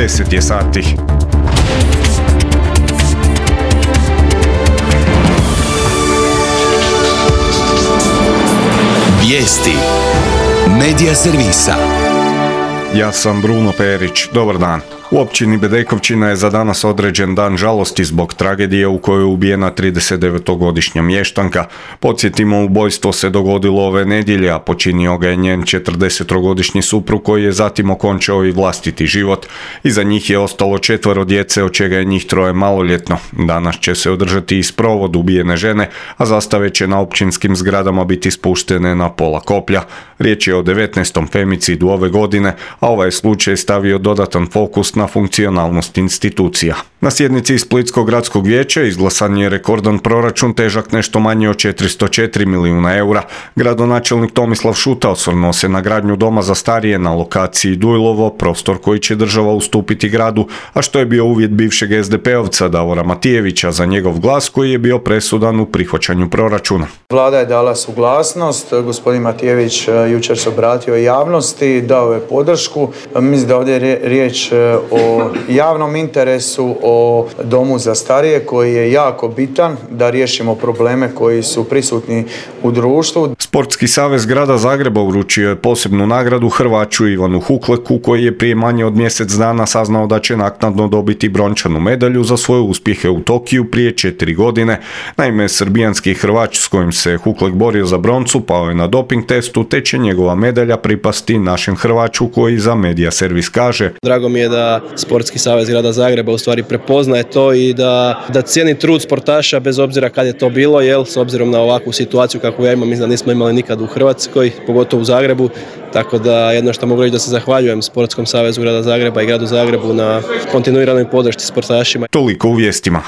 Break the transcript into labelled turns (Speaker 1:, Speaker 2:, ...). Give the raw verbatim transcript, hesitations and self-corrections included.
Speaker 1: deset je sati.
Speaker 2: Vijesti Medija servisa.
Speaker 1: Ja sam Bruno Perić, dobar dan. U općini Bedekovčina je za danas određen dan žalosti zbog tragedije u kojoj je ubijena tridesetdevetogodišnja mještanka. Podsjetimo, ubojstvo se dogodilo ove nedjelje, a počinio ga je njen četrdesetogodišnji suprug koji je zatim okončao i vlastiti život. Iza njih je ostalo četvero djece, od čega je njih troje maloljetno. Danas će se održati i sprovod ubijene žene, a zastave će na općinskim zgradama biti spuštene na pola koplja. Riječ je o devetnaestom femicidu ove godine, a ovaj slučaj stavio dodatan fokus na funkcionalnost institucija. Na sjednici Splitskog gradskog vijeća izglasan je rekordan proračun težak nešto manje od četiristo četiri milijuna eura. Gradonačelnik Tomislav Šuta osvrnuo se na gradnju doma za starije na lokaciji Dujlovo, prostor koji će država ustupiti gradu, a što je bio uvjet bivšeg es de pe-ovca Davora Matijevića za njegov glas koji je bio presudan u prihvaćanju proračuna.
Speaker 3: Vlada je dala suglasnost, gospodin Matijević jučer se obratio javnosti, dao je podršku. Mislim da ovdje je riječ o javnom interesu, o domu za starije koji je jako bitan da riješimo probleme koji su prisutni u društvu.
Speaker 1: Sportski savez grada Zagreba uručio je posebnu nagradu Hrvaću Ivanu Hukleku koji je prije manje od mjesec dana saznao da će naknadno dobiti brončanu medalju za svoje uspjehe u Tokiju prije četiri godine. Naime, srbijanski Hrvač s kojim se Huklek borio za broncu pao je na doping testu, te će njegova medalja pripasti našem Hrvaću koji za Medija servis kaže:
Speaker 4: Drago mi je da Sportski savez grada Zagreba u stvari prepoznaje to i da, da cijeni trud sportaša bez obzira kad je to bilo, jel, s obzirom na ovakvu situaciju kakvu ja imam, mislim da nismo imali nikad u Hrvatskoj, pogotovo u Zagrebu, tako da jedno što mogu reći da se zahvaljujem Sportskom savezu grada Zagreba i gradu Zagrebu na kontinuiranoj podršci sportašima.
Speaker 1: Toliko u vijestima.